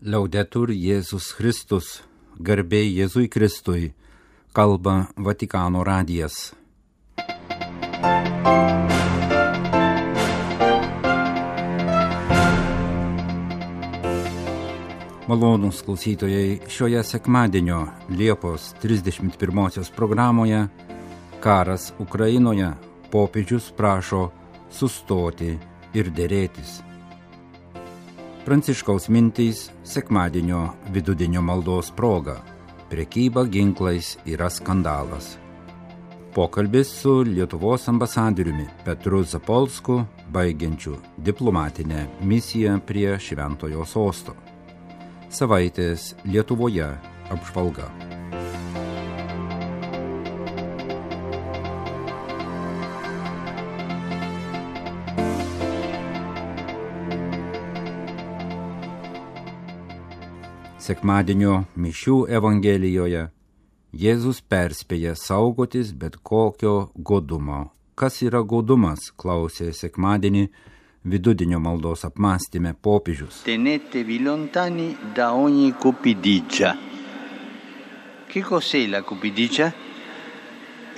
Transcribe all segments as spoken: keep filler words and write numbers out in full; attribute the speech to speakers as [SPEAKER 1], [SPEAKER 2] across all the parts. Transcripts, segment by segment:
[SPEAKER 1] Liaudetur Jėzus Kristus, garbė Jėzui Kristui, kalba Vatikano radijas. Malonūs klausytojai, šioje sekmadienio Liepos trisdešimt pirmosios programoje Karas Ukrainoje, popiežius prašo sustoti ir derėtis. Pranciškaus mintys sekmadienio vidudienio maldos proga. Prekyba ginklais yra skandalas. Pokalbis su Lietuvos ambasadoriumi Petru Zapolsku, baigiančiu diplomatinę misiją prie Šventojo sosto. Savaitės Lietuvoje apžvalga. Sekmadienio mišių evangelijoje Jėzus perspėja saugotis bet kokio godumo. Kas yra godumas, klausė sekmadienį vidudienio maldos apmąstyme popiežius.
[SPEAKER 2] Tenetevi lontani da ogni cupidigia. Che cos'è la cupidigia?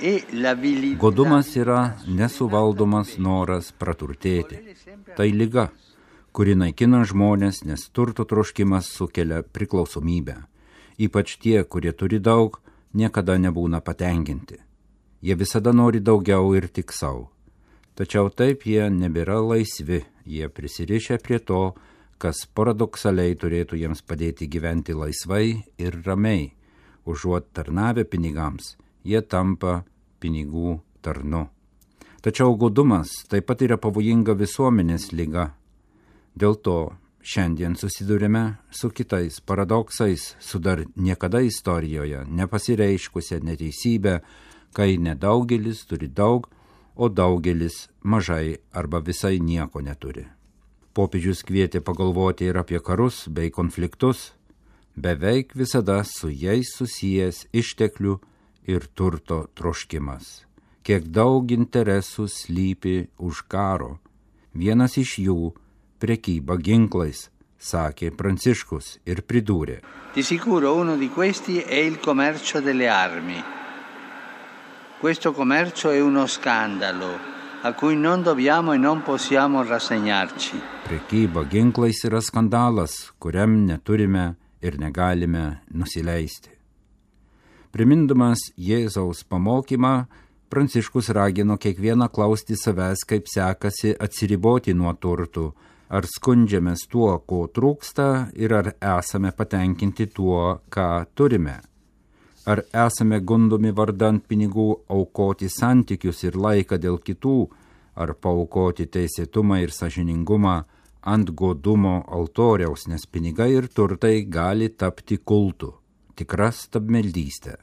[SPEAKER 2] E l'avidità.
[SPEAKER 1] Godumas yra nesuvaldomas noras praturtėti. Tai liga, kuri naikina žmonės, nes turto troškimas sukelia priklausomybę. Ypač tie, kurie turi daug, niekada nebūna patenkinti. Jie visada nori daugiau ir tik savo. Tačiau taip jie nebėra laisvi, jie prisirišę prie to, kas paradoksaliai turėtų jiems padėti gyventi laisvai ir ramiai. Užuot tarnavę pinigams, jie tampa pinigų tarnu. Tačiau godumas taip pat yra pavojinga visuomenės liga. Dėl to šiandien susidurime su kitais paradoksais, su dar niekada istorijoje nepasireiškusią neteisybę, kai nedaugelis turi daug, o daugelis mažai arba visai nieko neturi. Popiežius kvietė pagalvoti ir apie karus bei konfliktus, beveik visada su jais susijęs išteklių ir turto troškimas. Kiek daug interesų slypi už karo. Vienas iš jų prekyba ginklais, sakė Pranciškus ir pridūrė.
[SPEAKER 2] Di sicuro uno di questi è il commercio delle armi. Questo commercio è uno scandalo a cui non dobbiamo e non possiamo rassegnarci.
[SPEAKER 1] Prekyba ginklais yra skandalas, kuriam neturime ir negalime nusileisti. Primindamas Jėzaus pamokymą, Pranciškus ragino kiekvieną klausti savęs, kaip sekasi atsiriboti nuo turtų, ar skundžiamės tuo, ko trūksta, ir ar esame patenkinti tuo, ką turime. Ar esame gundomi vardant pinigų aukoti santykius ir laiką dėl kitų, ar paaukoti teisėtumą ir sąžiningumą ant godumo altoriaus, nes pinigai ir turtai gali tapti kultu, tikra stabmeldystė.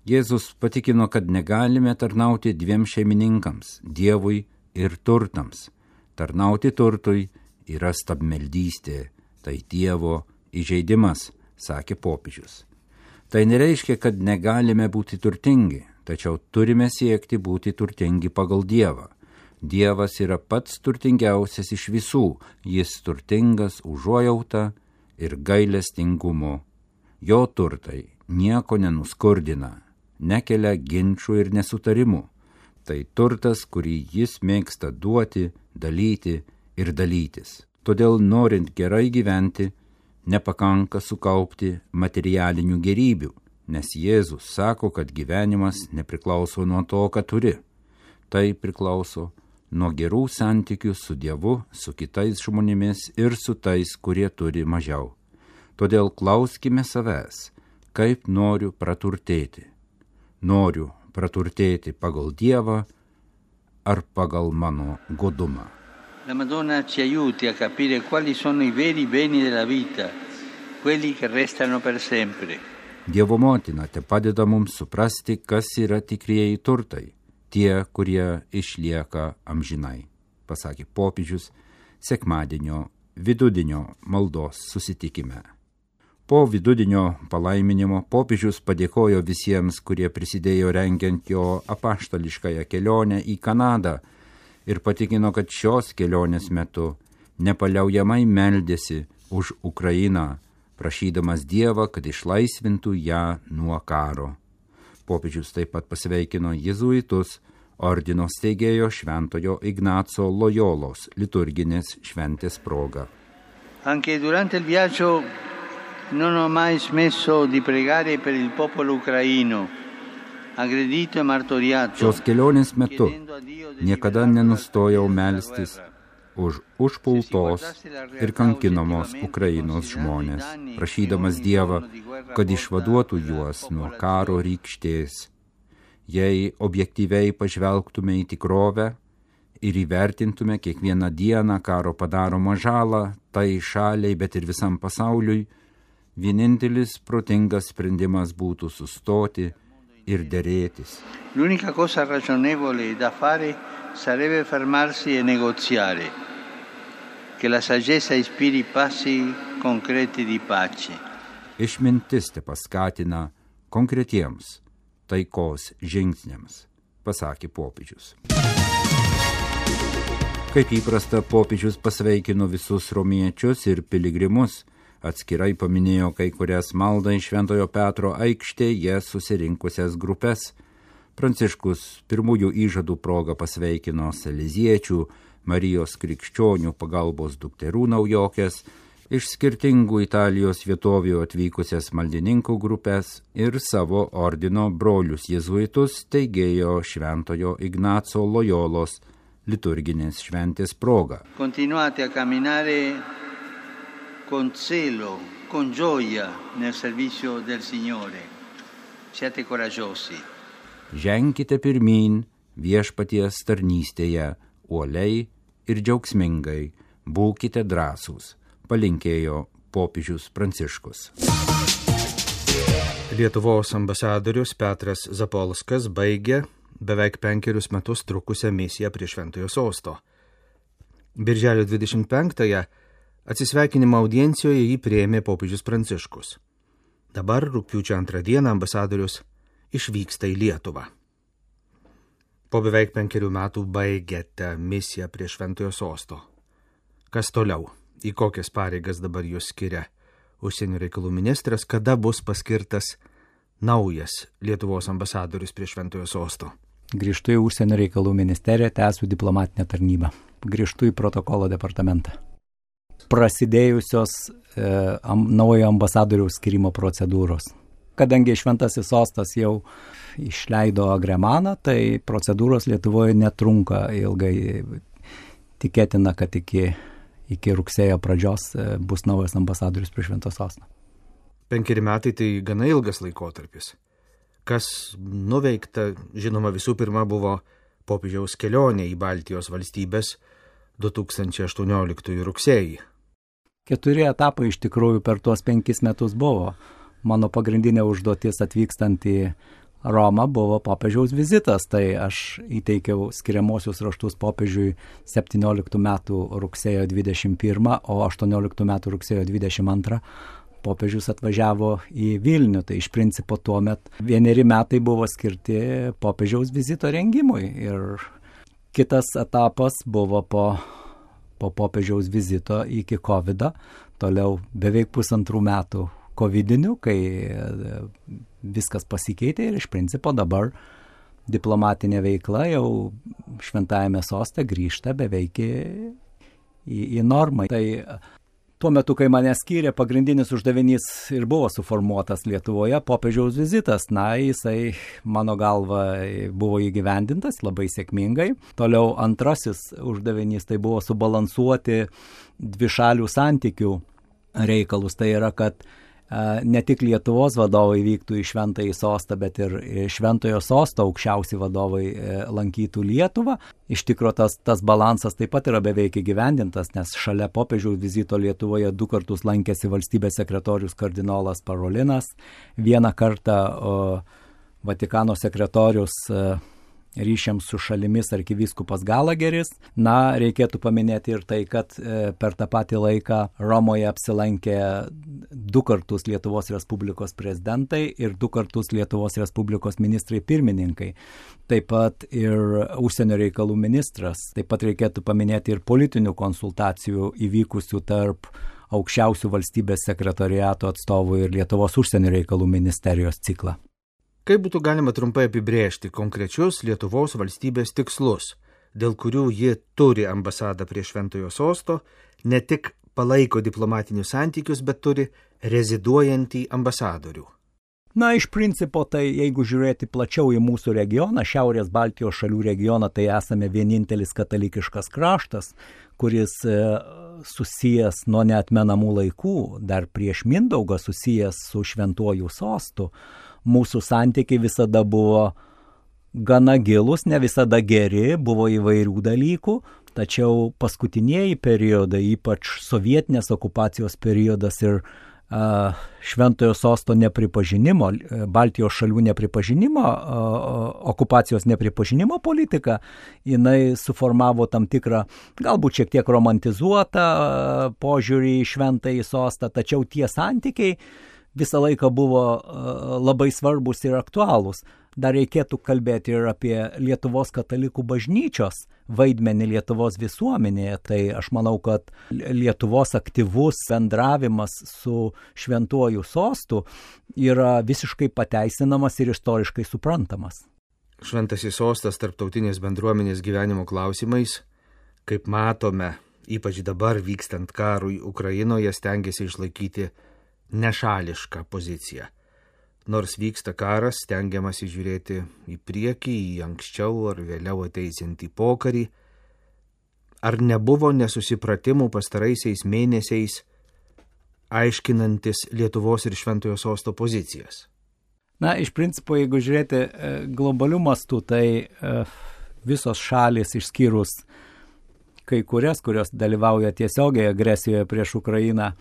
[SPEAKER 1] Jėzus patikino, kad negalime tarnauti dviem šeimininkams, Dievui ir turtams. Tarnauti turtui yra stabmeldystė, tai Dievo įžeidimas, sakė popiežius. Tai nereiškia, kad negalime būti turtingi, tačiau turime siekti būti turtingi pagal Dievą. Dievas yra pats turtingiausias iš visų, jis turtingas užuojauta ir gailestingumu. Jo turtai nieko nenuskurdina, nekelia ginčų ir nesutarimų. Tai turtas, kurį jis mėgsta duoti, dalyti ir dalytis. Todėl norint gerai gyventi, nepakanka sukaupti materialinių gerybių, nes Jėzus sako, kad gyvenimas nepriklauso nuo to, ką turi. Tai priklauso nuo gerų santykių su Dievu, su kitais žmonėmis ir su tais, kurie turi mažiau. Todėl klauskime savęs, kaip noriu praturtėti. Noriu praturtėti pagal Dievą ar pagal mano godumą.
[SPEAKER 2] La Madonna ci aiuti a capire quali sono i veri beni della vita, quelli che restano per sempre.
[SPEAKER 1] Dievo motina te padeda mums suprasti, kas yra tikrieji turtai, tie, kurie išlieka amžinai, pasakė popiežius sekmadienio vidudienio maldos susitikime. Po vidudienio palaiminimo popiežius padėkojo visiems, kurie prisidėjo rengiant jo apaštališkąją kelionę į Kanadą ir patikino, kad šios kelionės metu nepaliaujamai meldėsi už Ukrainą, prašydamas Dievą, kad išlaisvintų ją nuo karo. Popiežius taip pat pasveikino jėzuitus, ordino steigėjo Šventojo Ignaco Lojolos liturginės šventės proga.
[SPEAKER 2] Anche durante il viaggio non ho mai smesso di pregare per il popolo ucraino, aggredito e martoriato.
[SPEAKER 1] Šios kelionės metu niekada nenustojau melstis už užpultos ir kankinamos Ukrainos žmonės, prašydamas Dievą, kad išvaduotų juos nuo karo rykštės. Jei objektyviai pažvelgtume į tikrovę ir įvertintume kiekvieną dieną karo padaromą žalą, tai šaliai, bet ir visam pasauliui, vienintelis protingas sprendimas būtų sustoti ir derėtis.
[SPEAKER 2] L'unica cosa ragionevole da fare sarebbe fermarsi e negoziare, che la saggezza ispiri passi concreti di pace.
[SPEAKER 1] Išmintis te paskatina konkretiems taikos žingsniams, pasakė popiežius. Kaip įprasta, popiežius pasveikino visus romiečius ir piligrimus, atskirai paminėjo kai kurias maldą iš Šventojo Petro aikštėje susirinkusias grupes. Pranciškus pirmųjų įžadų progą pasveikino saleziečių, Marijos krikščionių pagalbos dukterų naujokės, iš skirtingų Italijos vietovių atvykusias maldininkų grupės ir savo ordino brolius jėzuitus teigėjo Šventojo Ignaco Lojolos liturginės šventės proga.
[SPEAKER 2] Continuate a camminare con zelo, con gioia nel servizio del Signore. Siate coraggiosi.
[SPEAKER 1] Ženkite pirmyn viešpaties tarnystėje, uoliai ir džiaugsmingai, būkite drąsūs, palinkėjo popiežius Pranciškus.
[SPEAKER 3] Lietuvos ambasadorius Petras Zapolskas baigė beveik penkerius metus trukusią misiją prie Šventojo Sosto. Birželio dvidešimt penktąją atsisveikinimo audiencijoje jį priėmė popiežius Pranciškus. Dabar rugpjūčio antrą dieną ambasadorius išvyksta į Lietuvą. Po beveik penkerių metų baigėte misiją prie Šventojo Sosto. Kas toliau? Į kokias pareigas dabar jūs skiria užsienio reikalų ministras? Kada bus paskirtas naujas Lietuvos ambasadorius prie Šventojo Sosto?
[SPEAKER 4] Grįžtu į užsienio reikalų ministeriją, tęsiu diplomatinę tarnybą. Grįžtu į protokolo departamentą. Prasidėjusios e, am, naujo ambasadoriaus skirimo procedūros. Kadangi Šventasis Sostas jau išleido agremaną, tai procedūros Lietuvoje netrunka ilgai. Tikėtina, kad iki, iki rugsėjo pradžios bus naujas ambasadorius prie Švento Sosto.
[SPEAKER 3] Penkeri metai tai gana ilgas laikotarpis. Kas nuveikta, žinoma, visų pirma buvo popiežiaus kelionė į Baltijos valstybės du tūkstančiai aštuonioliktųjų rugsėjį.
[SPEAKER 4] Keturi etapai iš tikrųjų per tuos penkis metus buvo. Mano pagrindinė užduotis atvykstant į Romą buvo popiežiaus vizitas, tai aš įteikiau skiriamosius raštus popiežiui septynioliktų metų rugsėjo dvidešimt pirmą, o aštuonioliktų metų rugsėjo dvidešimt antrą popiežius atvažiavo į Vilnių. Tai iš principo tuomet vieneri metai buvo skirti popiežiaus vizito rengimui. Ir kitas etapas buvo po, po popiežiaus vizito iki kovido, toliau beveik pusantrų metų kovidinių, kai viskas pasikeitė ir iš principo dabar diplomatinė veikla jau Šventajame Soste grįžta beveik į, į normą. Tai tuo metu, kai mane skyrė, pagrindinis uždavinys ir buvo suformuotas Lietuvoje popiežiaus vizitas. Na, jisai mano galva buvo įgyvendintas labai sėkmingai. Toliau antrasis uždavinys tai buvo subalansuoti dvišalių santykių reikalus. Tai yra, kad ne tik Lietuvos vadovai vyktų į Šventąjį Sostą, bet ir Šventojo Sosto aukščiausi vadovai lankytų Lietuvą. Iš tikro tas, tas balansas taip pat yra beveik įgyvendintas, nes šalia popiežiaus vizito Lietuvoje du kartus lankėsi valstybės sekretorius kardinolas Parolinas, vieną kartą o, Vatikano sekretorius ryšiams su šalimis arkivyskupas Galageris. Na, reikėtų paminėti ir tai, kad per tą patį laiką Romoje apsilankė du kartus Lietuvos Respublikos prezidentai ir du kartus Lietuvos Respublikos ministrai pirmininkai. Taip pat ir užsienio reikalų ministras. Taip pat reikėtų paminėti ir politinių konsultacijų įvykusių tarp aukščiausių valstybės sekretoriato atstovų ir Lietuvos užsienio reikalų ministerijos ciklą.
[SPEAKER 3] Kaip būtų galima trumpai apibrėžti konkrečius Lietuvos valstybės tikslus, dėl kurių ji turi ambasadą prie Šventojo sosto, ne tik palaiko diplomatinius santykius, bet turi reziduojantį ambasadorių?
[SPEAKER 4] Na, iš principo, tai jeigu žiūrėti plačiau į mūsų regioną, Šiaurės Baltijos šalių regioną, tai esame vienintelis katalikiškas kraštas, kuris susijęs nuo neatmenamų laikų, dar prieš Mindaugą susijęs su Šventuoju sostu. Mūsų santykiai visada buvo gana gilus, ne visada geri, buvo įvairių dalykų, tačiau paskutinieji periodai, ypač sovietinės okupacijos periodas ir Šventojo sosto nepripažinimo, Baltijos šalių nepripažinimo, okupacijos nepripažinimo politika, jinai suformavo tam tikrą, galbūt šiek tiek romantizuotą požiūrį į Šventąjį sostą, tačiau tie santykiai visą laiką buvo labai svarbus ir aktualūs. Dar reikėtų kalbėti ir apie Lietuvos katalikų bažnyčios vaidmenį Lietuvos visuomenėje. Tai aš manau, kad Lietuvos aktyvus bendravimas su Šventuoju sostu yra visiškai pateisinamas ir istoriškai suprantamas.
[SPEAKER 3] Šventasis sostas tarptautinės bendruomenės gyvenimo klausimais, kaip matome, ypač dabar vykstant karui Ukrainoje, stengiasi išlaikyti nešališką poziciją. Nors vyksta karas, stengiamasi žiūrėti į priekį, į anksčiau ar vėliau ateisiantį pokarį. Ar nebuvo nesusipratimų pastaraisiais mėnesiais, aiškinantis Lietuvos ir Šventojo sosto pozicijas?
[SPEAKER 4] Na, iš principo, jeigu žiūrėti globalių mastų, tai visos šalis išskyrus kai kurias, kurios dalyvauja tiesiogiai agresijoje prieš Ukrainą,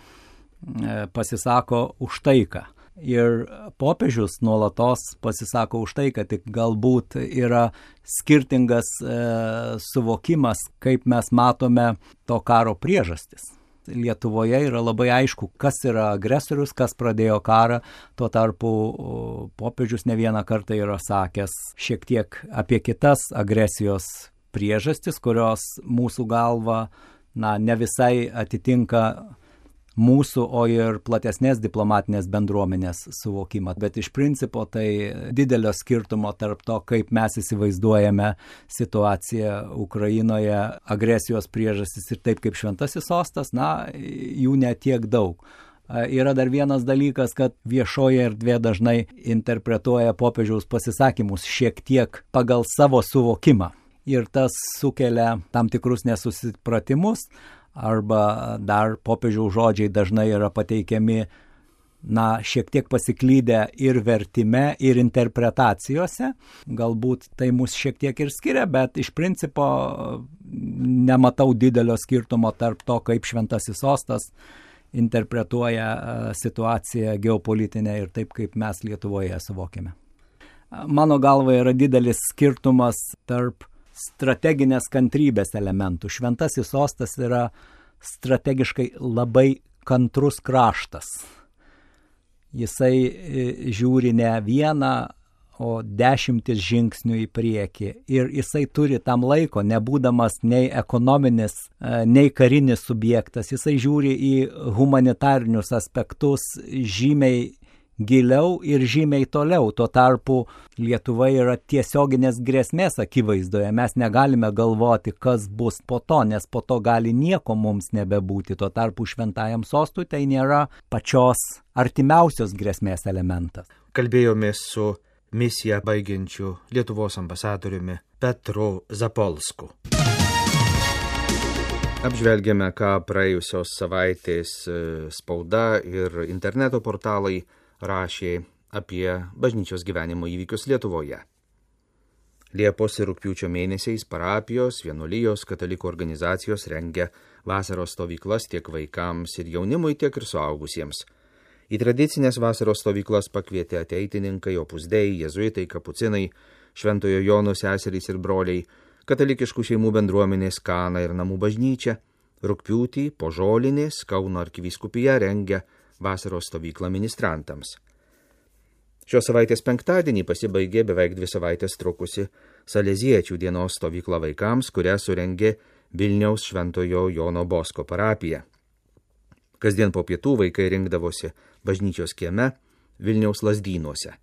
[SPEAKER 4] pasisako už taiką. Ir popiežius nuolatos pasisako už tai, kad tik galbūt yra skirtingas e, suvokimas, kaip mes matome to karo priežastis. Lietuvoje yra labai aišku, kas yra agresorius, kas pradėjo karą, tuo tarpu popiežius ne vieną kartą yra sakęs šiek tiek apie kitas agresijos priežastis, kurios mūsų galva na, ne visai atitinka mūsų, o ir platesnės diplomatinės bendruomenės suvokimą. Bet iš principo tai didelio skirtumo tarp to, kaip mes įsivaizduojame situaciją Ukrainoje, agresijos priežastis ir taip kaip Šventasis sostas, na, jų netiek daug. Yra dar vienas dalykas, kad viešoje erdvė dažnai interpretuoja popiežiaus pasisakymus šiek tiek pagal savo suvokimą. Ir tas sukelia tam tikrus nesusipratimus, arba dar popiežiaus žodžiai dažnai yra pateikiami, na, šiek tiek pasiklydę ir vertime, ir interpretacijose. Galbūt tai mus šiek tiek ir skiria, bet iš principo nematau didelio skirtumo tarp to, kaip Šventasis sostas interpretuoja situaciją geopolitinę ir taip, kaip mes Lietuvoje suvokiame. Mano galva yra didelis skirtumas tarp strateginės kantrybės elementų. Šventasis sostas yra strategiškai labai kantrus kraštas. Jisai žiūri ne vieną, o dešimtis žingsnių į priekį. Ir jisai turi tam laiko, nebūdamas nei ekonominis, nei karinis subjektas. Jisai žiūri į humanitarinius aspektus žymiai giliau ir žymiai toliau. Tuo tarpu Lietuva yra tiesioginės grėsmės akivaizdoje. Mes negalime galvoti, kas bus po to, nes po to gali nieko mums nebebūti. Tuo tarpu Šventajam sostui tai nėra pačios artimiausios grėsmės elementas.
[SPEAKER 3] Kalbėjomės su misiją baigiančiu Lietuvos ambasadoriumi Petru Zapolsku. Apžvelgėme, ką praėjusios savaitės spauda ir interneto portalai rašė apie bažnyčios gyvenimo įvykius Lietuvoje. Liepos ir rugpjūčio mėnesiais parapijos, vienuolijos, katalikų organizacijos rengia vasaros stovyklas tiek vaikams ir jaunimui, tiek ir suaugusiems. Į tradicinės vasaros stovyklas pakvietė ateitininkai, opus dei, jėzuitai, kapucinai, Šventojo Jono seserys ir broliai, katalikiškų šeimų bendruomenės Kana ir namų bažnyčia. Rugpjūtį po Žolinės Kauno arkivyskupija rengia vasaros stovyklą ministrantams. Šios savaitės penktadienį pasibaigė beveik dvi savaitės trukusi Saleziečių dienos stovykla vaikams, kurią surengė Vilniaus Šventojo Jono Bosko parapija. Kasdien po pietų vaikai rinkdavosi bažnyčios kieme Vilniaus Lazdynuose.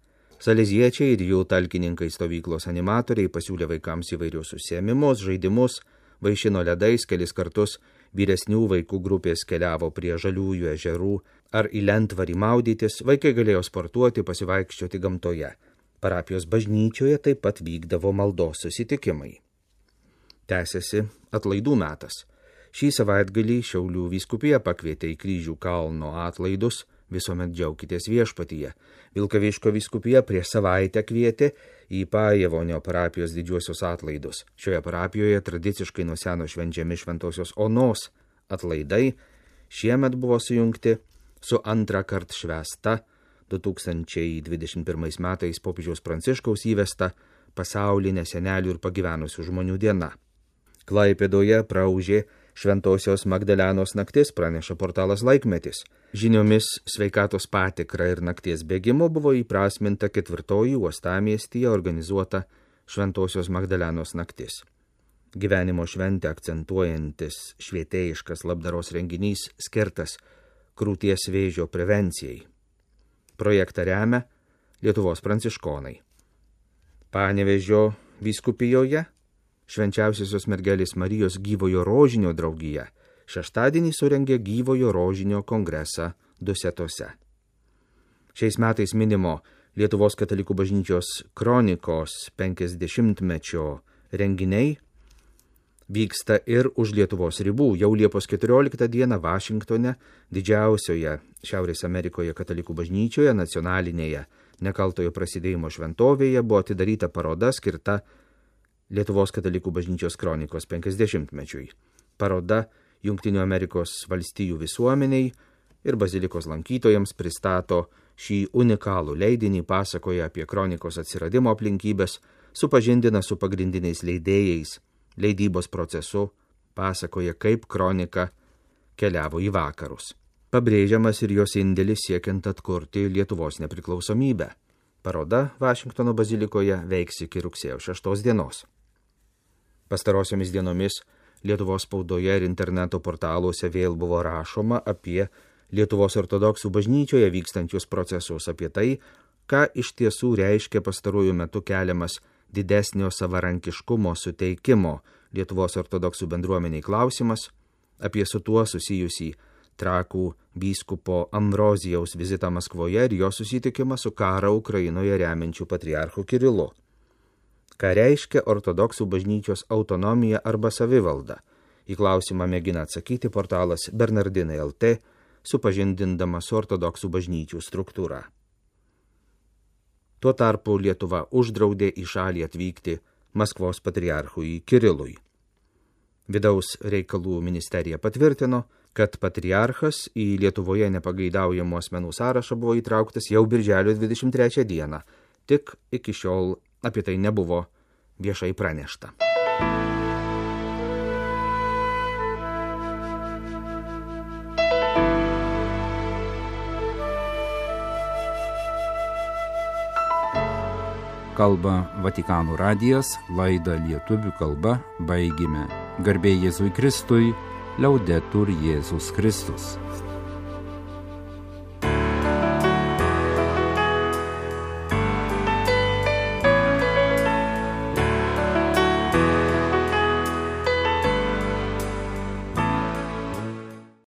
[SPEAKER 3] Saleziečiai ir jų talkininkai stovyklos animatoriai pasiūlė vaikams įvairius užsiėmimus, žaidimus, vaišino ledais, kelis kartus vyresnių vaikų grupės keliavo prie žaliųjų ežerų ar į lentvarį maudytis, vaikai galėjo sportuoti, pasivaikščioti gamtoje. Parapijos bažnyčioje taip pat vykdavo maldos susitikimai. Tęsiasi atlaidų metas. Šį savaitgalį Šiaulių vyskupija pakvietė į Kryžių kalno atlaidus, visuomet džiaukitės viešpatyje. Vilkaviškio vyskupija prieš savaitę kvietė į Pajevonio parapijos didžiuosius atlaidus. Šioje parapijoje tradiciškai nuo seno švenčiami Šventosios Onos atlaidai, šiemet buvo sujungti su antrą kartą švęsta du tūkstančiai dvidešimt pirmais metais popiežiaus Pranciškaus įvesta pasaulinė senelių ir pagyvenusių žmonių diena. Klaipėdoje praūžė Šventosios Magdalenos naktis, praneša portalas Laikmetis. Žiniomis sveikatos patikra ir nakties bėgimo buvo įprasminta ketvirtoji uostamiestyje organizuota Šventosios Magdalenos naktis. Gyvenimo šventę akcentuojantis švietėjiškas labdaros renginys skirtas krūties vėžio prevencijai. Projektą remia Lietuvos pranciškonai. Panevėžio vyskupijoje Švenčiausiosios mergelės Marijos gyvojo rožinio draugija šeštadienį surengė gyvojo rožinio kongresą Dusetose. Šiais metais minimo Lietuvos katalikų bažnyčios kronikos penkiasdešimtmečio renginiai vyksta ir už Lietuvos ribų. Jau Liepos keturioliktą dieną Vašingtone, didžiausioje Šiaurės Amerikoje katalikų bažnyčioje, nacionalinėje nekaltojo prasidėjimo šventovėje buvo atidaryta paroda skirta Lietuvos katalikų bažnyčios kronikos penkiasdešimtmečiui. Paroda Jungtinių Amerikos valstijų visuomeniai ir bazilikos lankytojams pristato šį unikalų leidinį, pasakoja apie kronikos atsiradimo aplinkybės, supažindina su pagrindiniais leidėjais, leidybos procesu, pasakoja, kaip kronika keliavo į vakarus. Pabrėžiamas ir jos indėlis siekiant atkurti Lietuvos nepriklausomybę. Paroda Vašingtono bazilikoje veiks iki rugsėjo šeštos dienos. Pastarosiomis dienomis Lietuvos spaudoje ir interneto portaluose vėl buvo rašoma apie Lietuvos ortodoksų bažnyčioje vykstančius procesus, apie tai, ką iš tiesų reiškia pastaruoju metu keliamas didesnio savarankiškumo suteikimo Lietuvos ortodoksų bendruomeniai klausimas, apie su tuo susijusį Trakų vyskupo Ambrozijaus vizitą Maskvoje ir jo susitikimą su karą Ukrainoje remiančiu patriarchu Kirilu. Ką reiškia ortodoksų bažnyčios autonomija arba savivalda? Į klausimą mėgina atsakyti portalas Bernardinai L T, supažindindamas su ortodoksų bažnyčių struktūra. Tuo tarpu Lietuva uždraudė į šalį atvykti Maskvos patriarchui Kirilui. Vidaus reikalų ministerija patvirtino, kad patriarchas į Lietuvoje nepageidaujamų asmenų sąrašą buvo įtrauktas jau birželio dvidešimt trečią dieną, tik iki šiol apie tai nebuvo viešai pranešta.
[SPEAKER 1] Kalba Vatikano radijas, laidą lietuvių kalba baigime. Garbė Jėzui Kristui, Liaudetur Jėzus Kristus.